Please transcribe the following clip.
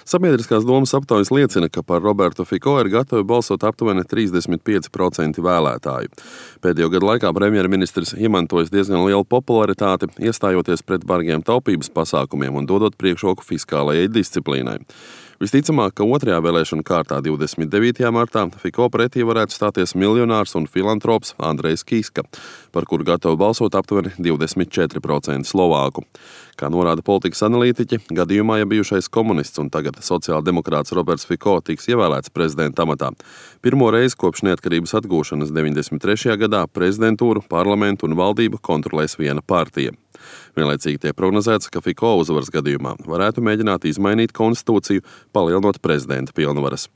Sabiedriskās domas aptaujas liecina, ka par Robertu Fico ir gatavi balsot aptuveni 35% vēlētāju. Pēdējo gadu laikā premjerministrs iemantojis diezgan lielu popularitāti, iestājoties pret bargiem taupības pasākumiem un dodot priekšroku fiskālajai disciplīnai. Visticamāk, ka otrajā vēlēšanu kārtā 29. martā Fico pretī varētu stāties miljonārs un filantrops Andrejs Kiska, par kuru gatavu balsot aptuveni 24% Slovāku. Kā norāda politikas analītiķi, gadījumā, ja bijušais komunists un tagad sociāldemokrāts Roberts Fico tiks ievēlēts prezidenta amatā, pirmo reizi kopš neatkarības atgūšanas 93. gadā prezidentūru, parlamentu un valdību kontrolēs viena partija. Vienlaicīgi tiek prognozēts, ka Fico uzvaras gadījumā varētu mēģināt izmainīt konstitūciju, palielinot prezidenta pilnvaras.